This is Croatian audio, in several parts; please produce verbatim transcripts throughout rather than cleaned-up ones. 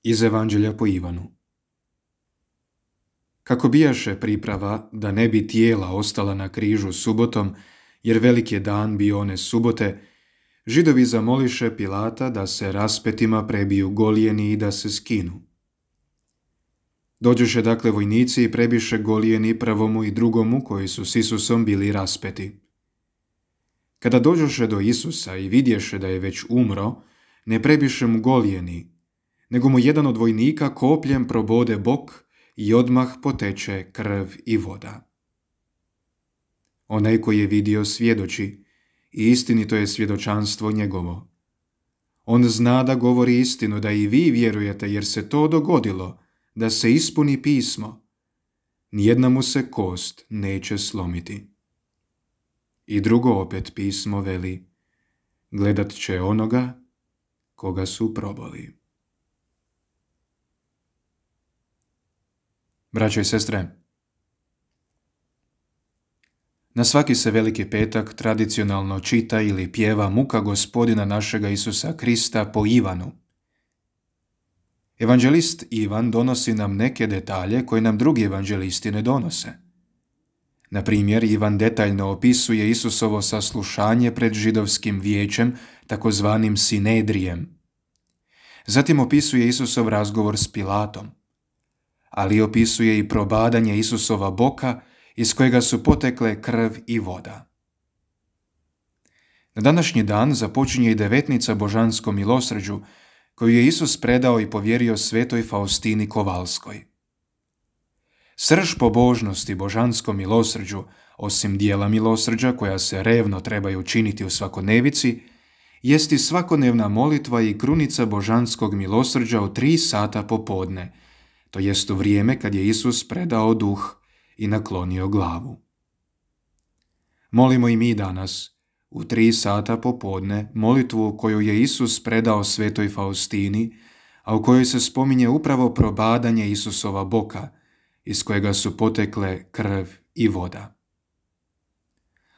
Iz Evanđelja po Ivanu. Kako bijaše priprava da ne bi tijela ostala na križu subotom, jer velik je dan bio one subote, Židovi zamoliše Pilata da se raspetima prebiju golijeni i da se skinu. Dođoše dakle vojnici i prebiše golijeni prvomu i drugomu koji su s Isusom bili raspeti. Kada dođoše do Isusa i vidješe da je već umro, ne prebiše mu golijeni, nego mu jedan od vojnika kopljem probode bok i odmah poteče krv i voda. Onaj koji je vidio svjedoči i istinito je svjedočanstvo njegovo. On zna da govori istinu, da i vi vjerujete, jer se to dogodilo, da se ispuni pismo. Nijedna mu se kost neće slomiti. I drugo opet pismo veli, gledat će onoga koga su probali. Braćo i sestre, na svaki se veliki petak tradicionalno čita ili pjeva muka Gospodina našega Isusa Krista po Ivanu. Evanđelist Ivan donosi nam neke detalje koje nam drugi evanđelisti ne donose. Na primjer, Ivan detaljno opisuje Isusovo saslušanje pred židovskim vijećem, takozvanim sinedrijem. Zatim opisuje Isusov razgovor s Pilatom, ali opisuje i probadanje Isusova boka iz kojega su potekle krv i voda. Na današnji dan započinje i devetnica božanskom milosrđu, koju je Isus predao i povjerio svetoj Faustini Kovalskoj. Srž pobožnosti božanskom milosrđu, osim dijela milosrđa koja se revno trebaju činiti u svakodnevici, jest i svakodnevna molitva i krunica božanskog milosrđa u tri sata popodne, to jest u vrijeme kad je Isus predao duh i naklonio glavu. Molimo i mi danas, u tri sata popodne, molitvu koju je Isus predao svetoj Faustini, a u kojoj se spominje upravo probadanje Isusova boka, iz kojega su potekle krv i voda.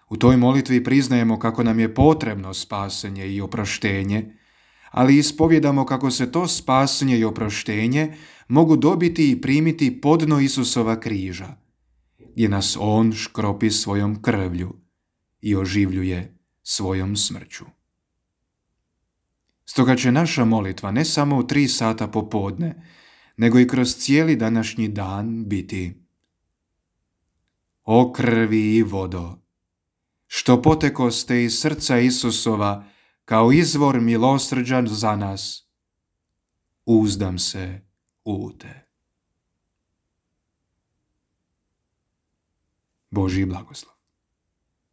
U toj molitvi priznajemo kako nam je potrebno spasenje i oproštenje, ali ispovjedamo kako se to spasenje i oproštenje mogu dobiti i primiti podno Isusova križa, gdje nas On škropi svojom krvlju i oživljuje svojom smrću. Stoga će naša molitva ne samo u tri sata popodne, nego i kroz cijeli današnji dan biti: O krvi i vodo, što potekoste iz srca Isusova kao izvor milosrđa za nas, uzdam se u te. Božji blagoslov.